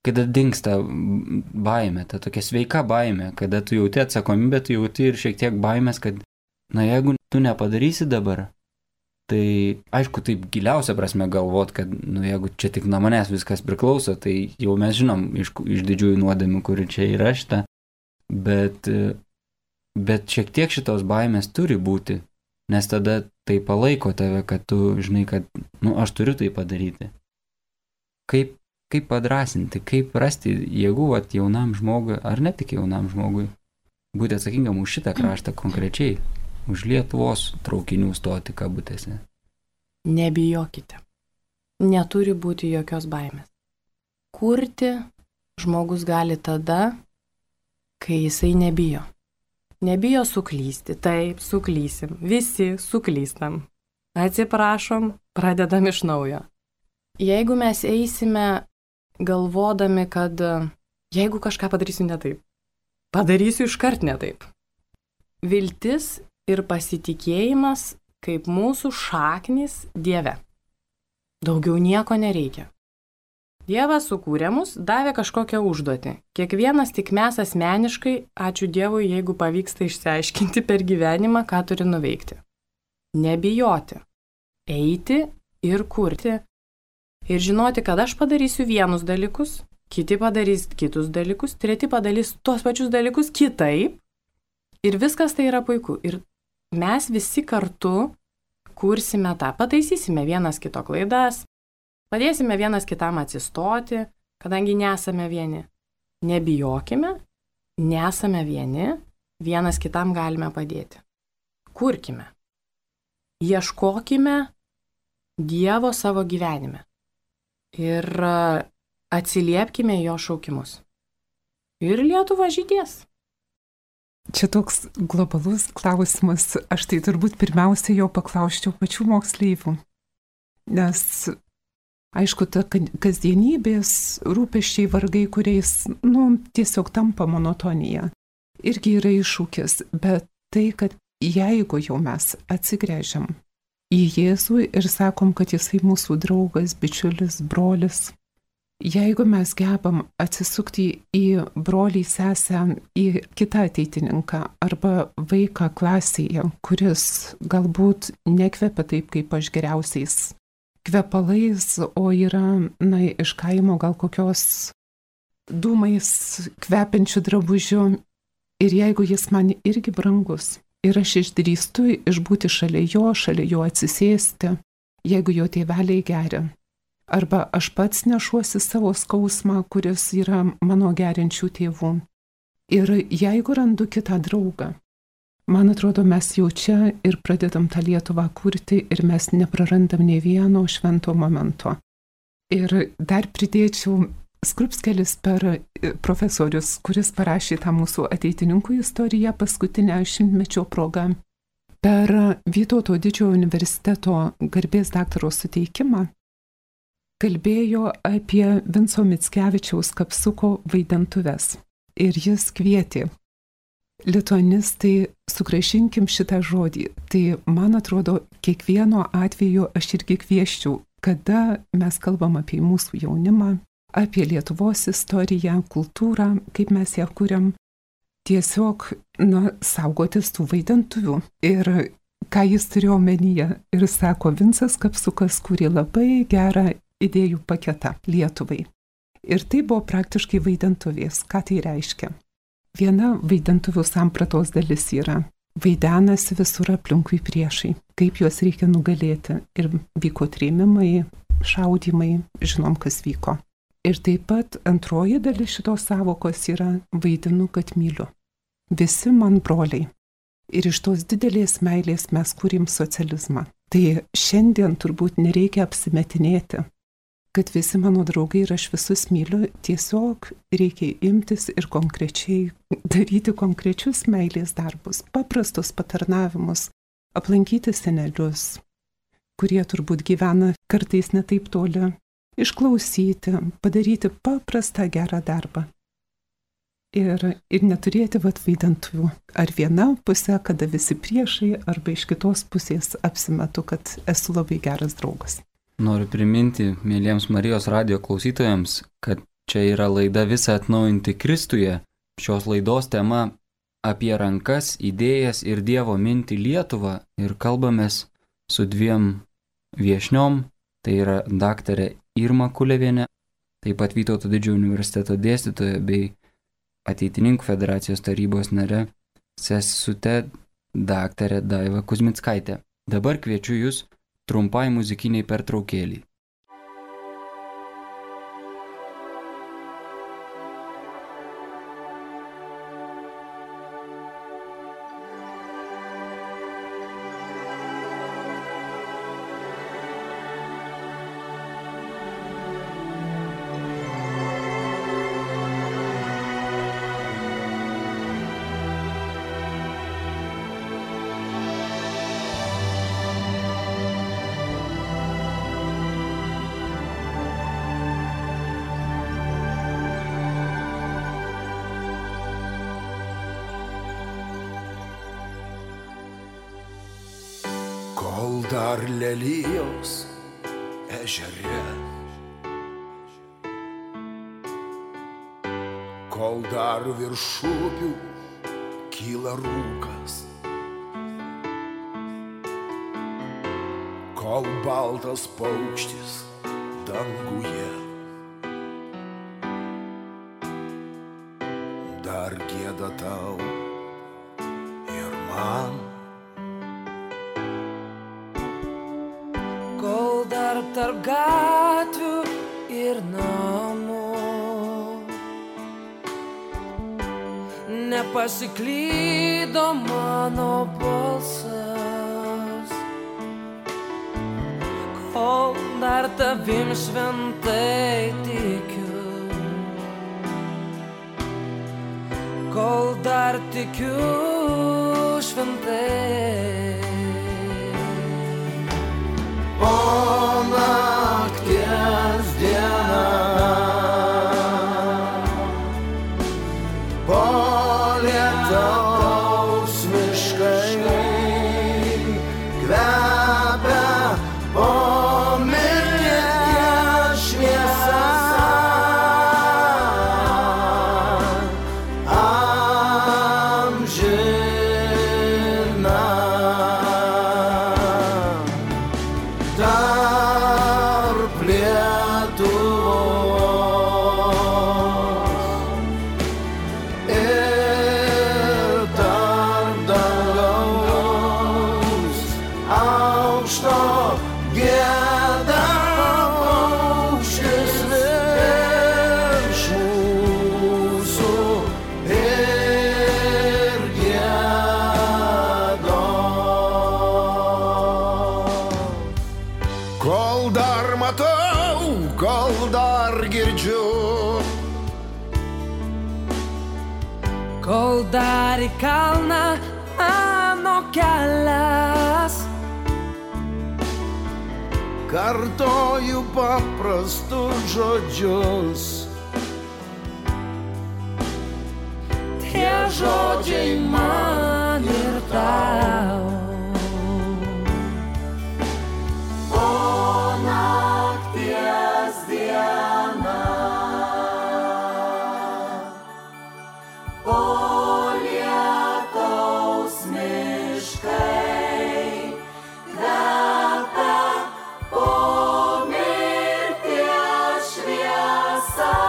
kada dingsta baimė, ta tokia sveika baimė, kada tu jauti atsakomybę, tu jauti ir šiek tiek baimės, kad, na jeigu tu nepadarysi dabar, tai aišku, taip giliausia prasme galvot, kad, nu jeigu čia tik nuo manęs viskas priklauso, tai jau mes žinom iš, iš didžiųjų nuodėmių, kuri čia yra šita, bet, bet šiek tiek šitos baimės turi būti, nes tada tai palaiko tave, kad tu žinai, kad, nu, aš turiu tai padaryti. Kaip, kaip padrasinti, kaip rasti jėgų vat, jaunam žmogui, ar ne tik jaunam žmogui, būti atsakingam už šitą kraštą konkrečiai, už Lietuvos traukinių stoti kabutėse. Nebijokite. Neturi būti jokios baimės. Kurti žmogus gali tada, kai jisai nebijo. Nebijo suklysti. Taip, suklysim. Visi suklystam. Atsiprašom, pradedam iš naujo. Jeigu mes eisime galvodami, kad jeigu kažką padarysiu ne taip, padarysiu iškart ne taip. Viltis ir pasitikėjimas kaip mūsų šaknys Dieve. Daugiau nieko nereikia. Dievas sukūrė mus, davė kažkokią užduotį. Kiekvienas tik mes asmeniškai, ačiū Dievui, jeigu pavyksta išsiaiškinti per gyvenimą, ką turi nuveikti. Nebijoti. Eiti ir kurti. Ir žinoti, kad aš padarysiu vienus dalykus, kiti padarys kitus dalykus, treti padarys tuos pačius dalykus kitaip. Ir viskas tai yra puiku. Ir mes visi kartu kursime tą, pataisysime vienas kito klaidas, padėsime vienas kitam atsistoti, kadangi nesame vieni. Nebijokime, nesame vieni, vienas kitam galime padėti. Kurkime. Ieškokime Dievo savo gyvenime. Ir atsiliepkime jo šaukimus. Ir Lietuva žydės. Čia toks globalus klausimas. Aš tai turbūt pirmiausia jau paklausčiau pačių moksleivių. Nes, aišku, ta kasdienybės rūpesčiai vargai, kuriais, nu, tiesiog tampa monotonija, irgi yra iššūkis. Bet tai, kad jeigu jau mes atsigręžiam į Jėzų ir sakom, kad jisai mūsų draugas, bičiulis, brolis, jeigu mes gebam atsisukti į brolį, sesę, į kitą ateitininką arba vaiką klasėje, kuris galbūt nekvepia taip, kaip aš geriausiais kvepalais, o yra, na, iš kaimo gal kokios dūmais kvepiančių drabužių, ir jeigu jis man irgi brangus, ir aš išdrįstu išbūti šalia jo, šalia jo atsisėsti, jeigu jo tėveliai geria. Arba aš pats nešuosi savo skausmą, kuris yra mano geriančių tėvų. Ir jeigu randu kitą draugą, man atrodo, mes jau čia ir pradedam tą Lietuvą kurti ir mes neprarandam nei vieno švento momento. Ir dar pridėčiau Skrupskelis per profesorius, kuris parašė tą mūsų ateitininkų istoriją paskutinę šimtmečio progą. Per Vytauto didžiojo universiteto garbės daktaro suteikimą kalbėjo apie Vinco Mickevičiaus Kapsuko vaidentuves. Ir jis kvietė: lituanistai, sugrąžinkim šitą žodį. Tai, man atrodo, kiekvieno atveju aš irgi kvieščiau, kada mes kalbam apie mūsų jaunimą, apie Lietuvos istoriją, kultūrą, kaip mes ją kuriam, tiesiog, na, saugotis tų vaidentuvių. Ir ką jis turėjo omenyje? Ir sako, Vincas Kapsukas kūrė labai gerą idėjų paketą Lietuvai. Ir tai buvo praktiškai vaidentuvės. Ką tai reiškia? Viena vaidentuvių sampratos dalis yra: vaidenasi visur aplinkui priešai, kaip juos reikia nugalėti. Ir vyko trėmimai, šaudymai, žinom, kas vyko. Ir taip pat antroji dalis šitos savokos yra: vaidinu, kad myliu. Visi man broliai. Ir iš tos didelės meilės mes kūrėm socializmą. Tai šiandien turbūt nereikia apsimetinėti, kad visi mano draugai ir aš visus myliu. Tiesiog reikia imtis ir konkrečiai daryti konkrečius meilės darbus, paprastus patarnavimus, aplankyti senelius, kurie turbūt gyvena kartais netaip toli, išklausyti, padaryti paprastą gerą darbą. Ir, ir neturėti vat vaidentuvių. Ar viena pusė, kada visi priešai, arba iš kitos pusės apsimetu, kad esu labai geras draugas. Noriu priminti mėlyjams Marijos radijo klausytojams, kad Čia yra laida Visa atnaujinti Kristuje. Šios laidos tema apie rankas, idėjas ir Dievo mintį Lietuvą ir kalbamės su dviem viešniom. Tai yra daktarė Irma Kulevienė, taip pat Vytauto Didžiojo universiteto dėstytoja bei Ateitininkų federacijos tarybos nare sesute daktarė Daiva Kuzmickaitė. Dabar kviečiu jūs trumpai muzikiniai pertraukėlį. Kol dar lelijos ežere, kol dar virš upių kyla rūkas, kol baltas paukštis danguje dar gieda tau ir man. Kol dar tarp gatvių ir namų nepasiklydo mano balsas, kol dar tavim šventai tikiu, kol dar tikiu šventai. O nakties diena, po lietaus miškai kvepia, po mirties šviesa amžina. Tarp Lietuvos ir tarp dangaus aukšto gieda paukštis virš mūsų ir giedos. Kol dar matau, kol dar girdžiu, Kol dar į kalną mano kelias, kartoju paprastus žodžius. tie žodžiai man ir tau. O nakties diena, po lietaus miškai kvepia, po mirties šviesa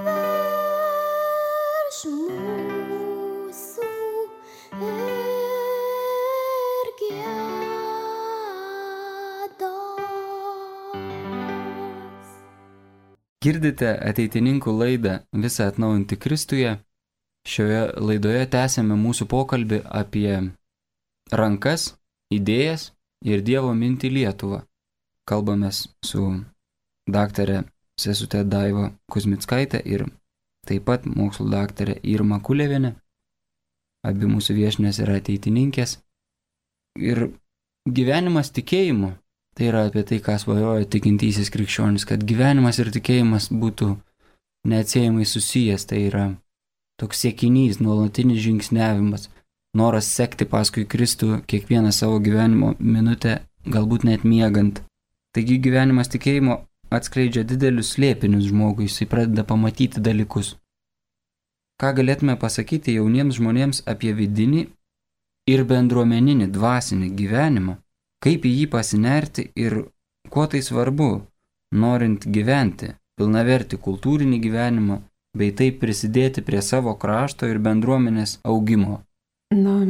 virš mūsų ir giedos. Girdite ateitininkų laidą Visą atnaujinti Kristuje. Šioje laidoje tęsėme mūsų pokalbį apie rankas, idėjas ir Dievo mintį Lietuvą. Kalbamės su daktare sesute Daiva Kuzmickaitė ir taip pat mokslo daktarė Irma Kulevienė. Abi mūsų viešnės yra ateitininkės. Ir gyvenimas tikėjimu, tai yra apie tai, ką svajoja tikintysis krikščionis, kad gyvenimas ir tikėjimas būtų neatsiejamai susijęs, tai yra toks siekinys, nuolatinis žingsniavimas, noras sekti paskui Kristų kiekvieną savo gyvenimo minutę, galbūt net miegant. Taigi gyvenimas tikėjimo atskleidžia didelius slėpinius žmogui, jisai pradeda pamatyti dalykus. Ką galėtume pasakyti jauniems žmonėms apie vidinį ir bendruomeninį dvasinį gyvenimą, kaip į jį pasinerti ir kuo tai svarbu, norint gyventi pilnavertį kultūrinį gyvenimą, bei taip prisidėti prie savo krašto ir bendruomenės augimo. Na,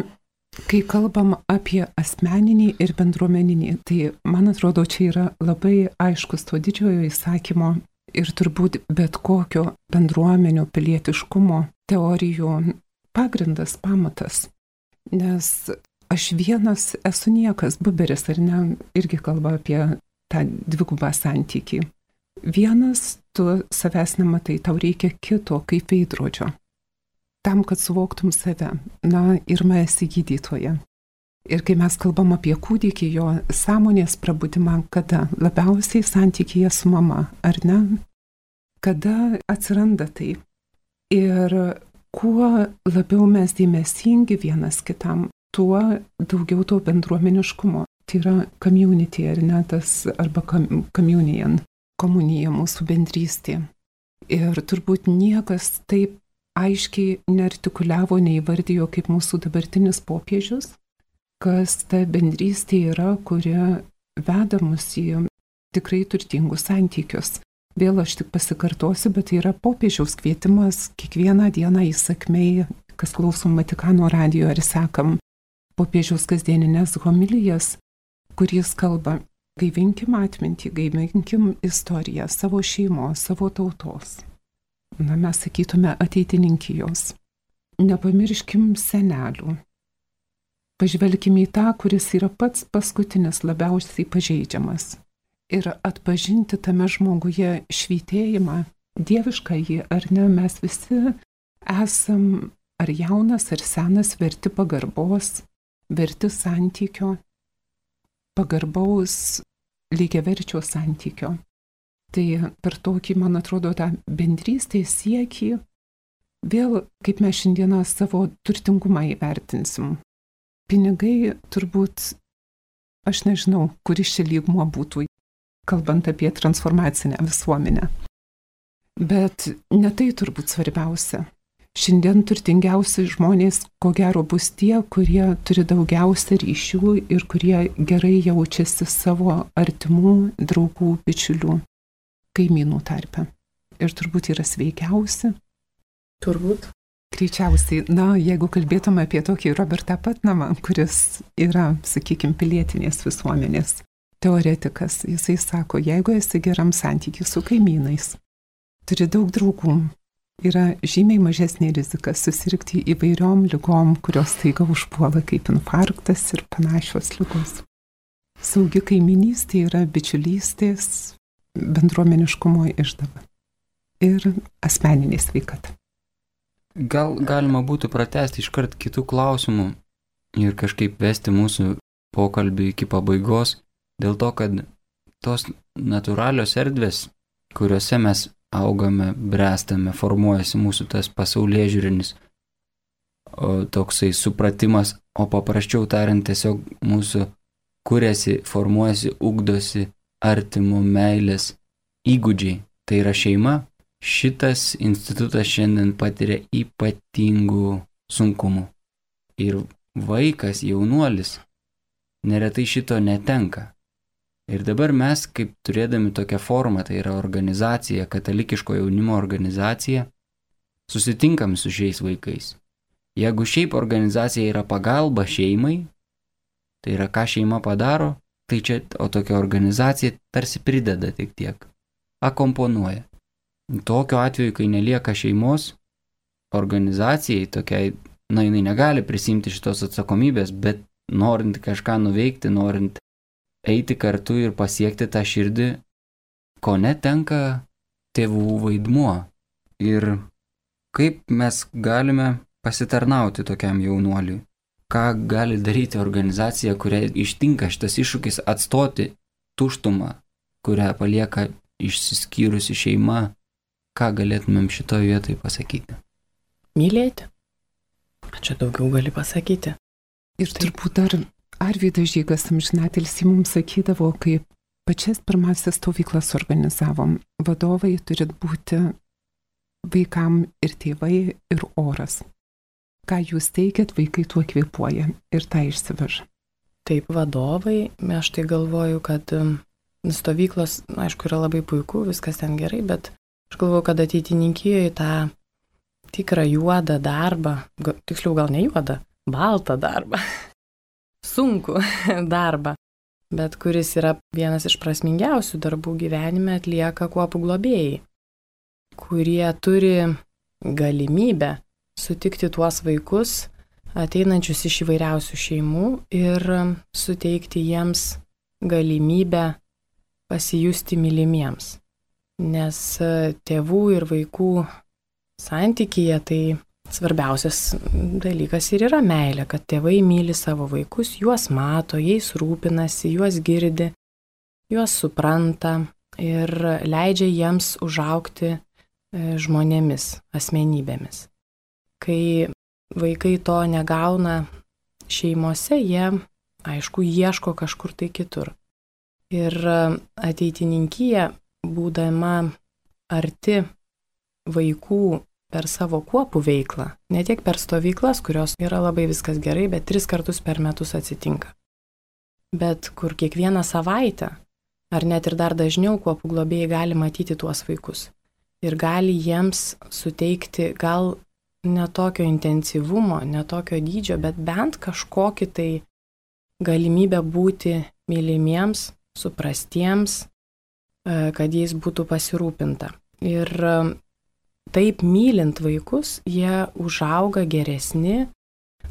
kai kalbam apie asmeninį ir bendruomeninį, tai man atrodo, čia yra labai aiškus to didžiojo įsakymo ir turbūt bet kokio bendruomenio pilietiškumo teorijų pagrindas, pamatas. Nes aš vienas esu niekas, Buberis, ar ne, irgi kalba apie tą dvigubą santykį. Vienas tu savęs nematai, tau reikia kito kaip veidrodžio. Tam, kad suvoktum save, na ir mes esi gydytoja. Ir kai mes kalbam apie kūdikį, jo sąmonės prabudimą, kada labiausiai santykyje su mama, ar ne? Kada atsiranda tai? Ir kuo labiau mes dėmesingi vienas kitam, tuo daugiau to bendruomeniškumo. Tai yra community, ar ne, tas, arba communion, komunija, mūsų bendrystė. Ir turbūt niekas taip aiškiai neartikuliavo, neįvardijo kaip mūsų dabartinis popiežius, kas ta bendrystė yra, kuri veda mus į tikrai turtingus santykius. Vėl aš tik pasikartosiu, bet tai yra popiežiaus kvietimas kiekvieną dieną įsakmiai, kas klausom Vatikano radijo ar sekam popiežiaus kasdieninės homilijas, kuris kalba, gaivinkim atmintį, gaivinkim istoriją savo šeimos, savo tautos. Na, mes sakytume ateitininkijos. Nepamirškim senelių. Pažvelkim į tą, kuris yra pats paskutinis labiausiai pažeidžiamas. Ir atpažinti tame žmoguje švytėjimą, dievišką jį, ar ne, mes visi esam ar jaunas, ar senas, verti pagarbos, verti santykio, pagarbaus lygiaverčio santykio. Tai per tokį, man atrodo, tą bendrystės siekį, vėl kaip mes šiandieną savo turtingumą įvertinsim. Pinigai turbūt, aš nežinau, kuris čia lygmuo būtų, kalbant apie transformacinę visuomenę. Bet ne tai turbūt svarbiausia. Šiandien turtingiausi žmonės, ko gero, bus tie, kurie turi daugiausia ryšių ir kurie gerai jaučiasi savo artimų, draugų, bičiulių, kaimynų tarpe. Ir turbūt yra sveikiausi. Turbūt. Greičiausiai, na, jeigu kalbėtume apie tokį Robertą Putnamą, kuris yra, sakykime, pilietinės visuomenės teoretikas, jisai sako, jeigu esi geram santykiui su kaimynais, turi daug draugų, yra žymiai mažesnė rizika susirgti įvairiom ligom, kurios staiga užpuola kaip infarktas ir panašios ligos. Saugi kaiminystė yra bičiulystės, bendruomeniškumo išdava ir asmeninė sveikata. Gal galima būtų pratęsti iškart kitų klausimų ir kažkaip vesti mūsų pokalbį iki pabaigos, dėl to, kad tos natūralios erdvės, kuriuose mes augame, bręstame, formuojasi mūsų tas pasaulėžiūrinis toksai supratimas, o paprasčiau tariant tiesiog mūsų kuriasi, formuojasi, ugdosi artimų meilės įgūdžiai. Tai yra šeima. Šitas institutas šiandien patiria ypatingų sunkumų. Ir vaikas, jaunuolis, neretai šito netenka. Ir dabar mes, kaip turėdami tokią formą, tai yra organizacija, katalikiško jaunimo organizacija, susitinkam su šiais vaikais. Jeigu šiaip organizacija yra pagalba šeimai, tai yra ką šeima padaro, tai čia, o tokia organizacija tarsi prideda tik tiek, akomponuoja. Tokiu atveju, kai nelieka šeimos, organizacijai tokiai, na, jinai negali prisimti šitos atsakomybės, bet norint kažką nuveikti, norint eiti kartu ir pasiekti tą širdį, ko netenka tėvų vaidmuo. Ir kaip mes galime pasitarnauti tokiam jaunuoliui? Ką gali daryti organizacija, kuriai ištinka šitas iššūkis atstoti tuštumą, kurią palieka išsiskyrusi šeima? Ką galėtumėm šitoje vietoje pasakyti? Mylėti. Čia daugiau gali pasakyti. Ir turbūt dar Arvydas Žygas amžinatilsį mums sakydavo, kai pačias pirmasis stovyklas organizavom, vadovai turi būti vaikam ir tėvai, ir oras. Ką jūs teikiat, vaikai tuo kvėpuoja ir tą išsiveža. Taip, vadovai, aš tai galvoju, kad stovyklos, aišku, yra labai puiku, viskas ten gerai, bet aš galvoju, kad ateitininkijoje tą tikrą juodą darbą, tiksliau gal ne juodą, baltą darbą, sunku darbą, bet kuris yra vienas iš prasmingiausių darbų gyvenime, atlieka kuopų globėjai, kurie turi galimybę sutikti tuos vaikus, ateinančius iš įvairiausių šeimų ir suteikti jiems galimybę pasijusti mylimiems. Nes tėvų ir vaikų santykyje tai svarbiausias dalykas ir yra meilė, kad tėvai myli savo vaikus, juos mato, jais rūpinasi, juos girdi, juos supranta ir leidžia jiems užaugti žmonėmis, asmenybėmis. Kai vaikai to negauna šeimose, jie, aišku, ieško kažkur tai kitur. Ir ateitininkija, būdama arti vaikų per savo kuopų veiklą, ne tiek per stovyklas, kurios yra labai viskas gerai, bet tris kartus per metus atsitinka. Bet kur kiekvieną savaitę, ar net ir dar dažniau kuopų globėjai gali matyti tuos vaikus. Ir gali jiems suteikti gal ne tokio intensyvumo, ne tokio dydžio, bet bent kažkokį tai galimybę būti mylimiems, suprastiems, kad jais būtų pasirūpinta. Ir taip mylint vaikus, jie užauga geresni,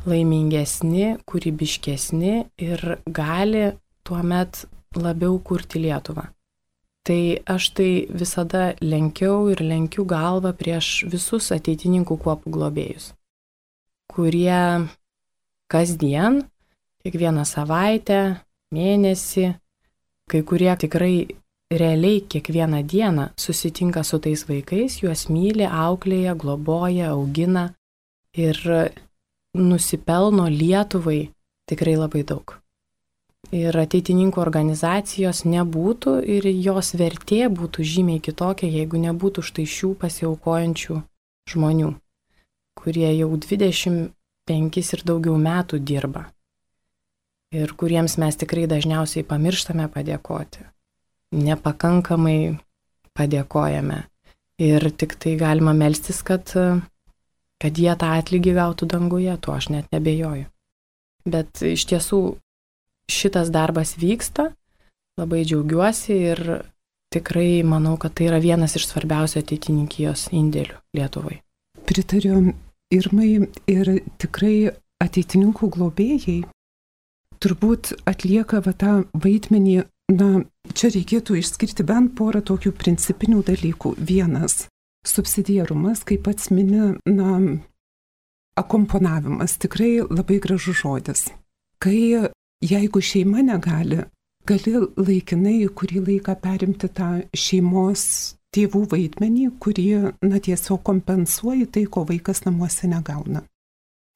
laimingesni, kūrybiškesni ir gali tuomet labiau kurti Lietuvą. Tai aš tai visada lenkiau ir lenkiu galvą prieš visus ateitininkų kuopų globėjus, kurie kasdien, kiekvieną savaitę, mėnesį, kai kurie tikrai realiai kiekvieną dieną susitinka su tais vaikais, juos myli, auklėja, globoja, augina ir nusipelno Lietuvai tikrai labai daug. Ir ateitininkų organizacijos nebūtų ir jos vertė būtų žymiai kitokia, jeigu nebūtų štai šių pasiaukojančių žmonių, kurie jau dvidešimt penkis ir daugiau metų dirba ir kuriems mes tikrai dažniausiai pamirštame padėkoti. Nepakankamai padėkojame ir tik tai galima melstis, kad, kad jie tą atlygį gautų danguje, tuo aš net nebejoju. Bet iš tiesų šitas darbas vyksta, labai džiaugiuosi ir tikrai manau, kad tai yra vienas iš svarbiausių ateitininkijos indėlių Lietuvai. Pritariu Irmai ir tikrai ateitininkų globėjai turbūt atlieka va tą vaidmenį. Na, čia reikėtų išskirti bent porą tokių principinių dalykų. Vienas – subsidiarumas, kaip pats mini, na, akomponavimas, tikrai labai gražus žodis. Kai jeigu šeima negali, gali laikinai kurį laiką perimti tą šeimos tėvų vaidmenį, kurį, na, tiesiog kompensuoja tai, ko vaikas namuose negauna.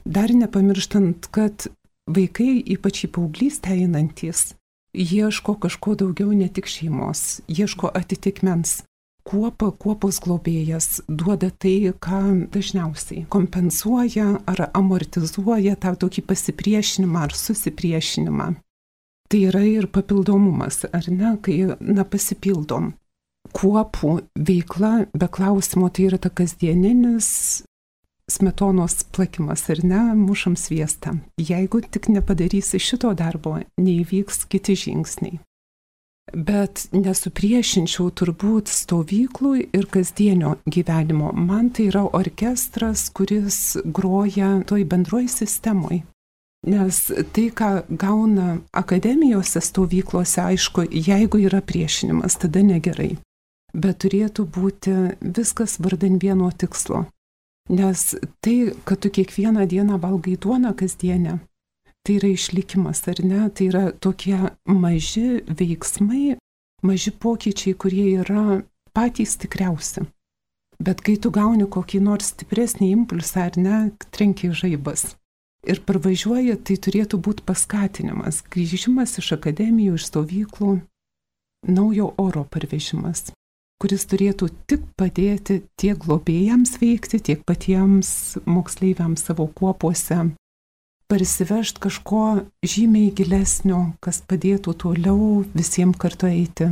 Dar nepamirštant, kad vaikai, ypač į paauglystę einantys, ieško kažko daugiau ne tik šeimos, ieško atitikmens. Kuopa, kuopos globėjas duoda tai, ką dažniausiai kompensuoja ar amortizuoja tą tokį pasipriešinimą ar susipriešinimą. tai yra ir papildomumas, ar ne, kai, na, pasipildom. Kuopų veikla, be klausimo, tai yra ta kasdieninis smetonos plakimas, ar ne, mušam sviestą. Jeigu tik nepadarysi šito darbo, neįvyks kiti žingsniai. Bet nesupriešinčiau turbūt stovyklų ir kasdienio gyvenimo. Man tai yra orkestras, kuris groja toj bendroj sistemoj. Nes tai, ką gauna akademijose stovyklose, aišku, jeigu yra priešinimas, tada negerai. Bet turėtų būti viskas vardan vieno tikslo. Nes tai, kad tu kiekvieną dieną valgai duoną kasdienę, tai yra išlikimas, ar ne? Tai yra tokie maži veiksmai, maži pokyčiai, kurie yra patys tikriausi. Bet kai tu gauni kokį nors stipresnį impulsą, ar ne, trenkia žaibas. Ir parvažiuoja, tai turėtų būti paskatinimas, grįžimas iš akademijų, iš stovyklų, naujo oro parvežimas, kuris turėtų tik padėti tiek globėjams veikti, tiek patiems moksleiviams savo kuopuose, parsivežti kažko žymiai gilesnio, kas padėtų toliau visiems kartu eiti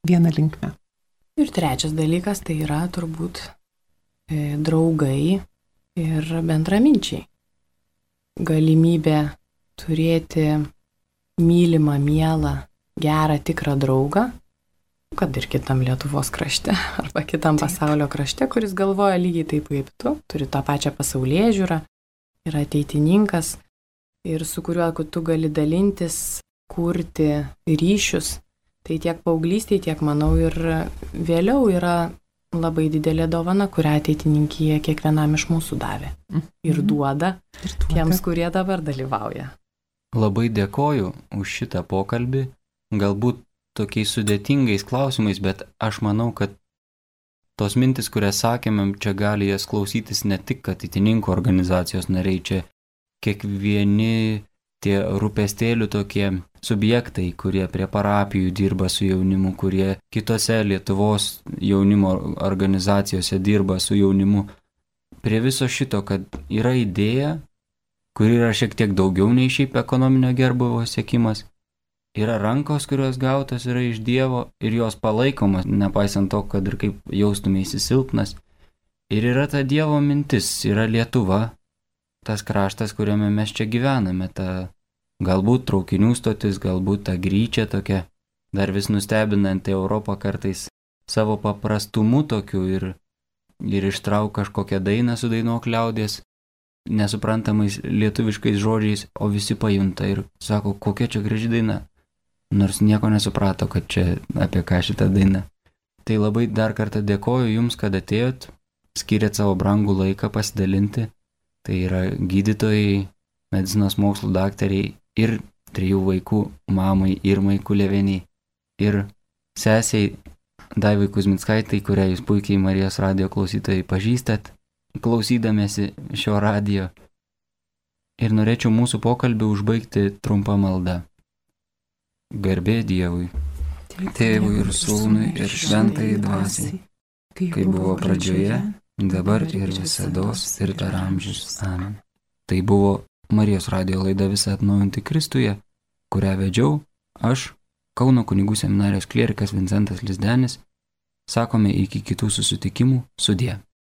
vieną linkmę. Ir trečias dalykas tai yra turbūt e, draugai ir bendraminčiai. Galimybė turėti mylimą, mielą, gerą, tikrą draugą, kad ir kitam Lietuvos krašte arba kitam taip. Pasaulio krašte, kuris galvoja lygiai taip kaip tu, turi tą pačią pasaulėžiūrą, yra ateitininkas ir su kuriuo tu gali dalintis, kurti ryšius. Tai tiek paauglystėje, tiek manau ir vėliau yra labai didelė dovana, kurią ateitininkija kiekvienam iš mūsų davė. Ir duoda, ir duoda tiems, kurie dabar dalyvauja. Labai dėkoju už šitą pokalbį. Galbūt tokiais sudėtingais klausimais, bet aš manau, kad tos mintis, kurias sakėme, čia gali jas klausytis ne tik ateitininkų organizacijos nariai, čia kiekvieni tie rūpestėlių tokie subjektai, kurie prie parapijų dirba su jaunimu, kurie kitose Lietuvos jaunimo organizacijose dirba su jaunimu. Prie viso šito, kad yra idėja, kuri yra šiek tiek daugiau nei šiaip ekonominio gerbūvio siekimas, yra rankos, kurios gautos yra iš Dievo ir jos palaikomas, nepaisant to, kad ir kaip jaustumėsi silpnas. Ir yra ta Dievo mintis, yra Lietuva, tas kraštas, kuriame mes čia gyvename, ta galbūt traukinių stotis, galbūt ta gryčia tokia, dar vis nustebinanti Europą kartais savo paprastumu tokiu ir, ir ištrauk kažkokią dainą su dainuok liaudies, nesuprantamais lietuviškais žodžiais, o visi pajunta ir sako, kokia čia graži daina, nors nieko nesuprato, kad čia apie ką šitą dainą. Tai labai dar kartą dėkoju Jums, kad atėjot, skyrėt savo brangų laiką pasidalinti. Tai yra gydytojai, medicinos mokslų daktariai ir trijų vaikų mamai Irmai Kuleveniai ir sesiai Daivai Kuzmickaitei, kurią Jūs puikiai Marijos radijo klausytojai pažįstat, klausydamėsi šio radijo. Ir norėčiau mūsų pokalbį užbaigti trumpą maldą. Garbė Dievui, Tėvui ir Sūnui ir Šventai Dvasiai, kaip buvo pradžioje, dabar ir visados ir per amžius. Amen. Tai buvo Marijos radijo laida Visa atnaujinti Kristuje, kurią vedžiau aš, Kauno kunigų seminarijos klierikas Vincentas Lizdenis. Sakome iki kitų susitikimų, sudie.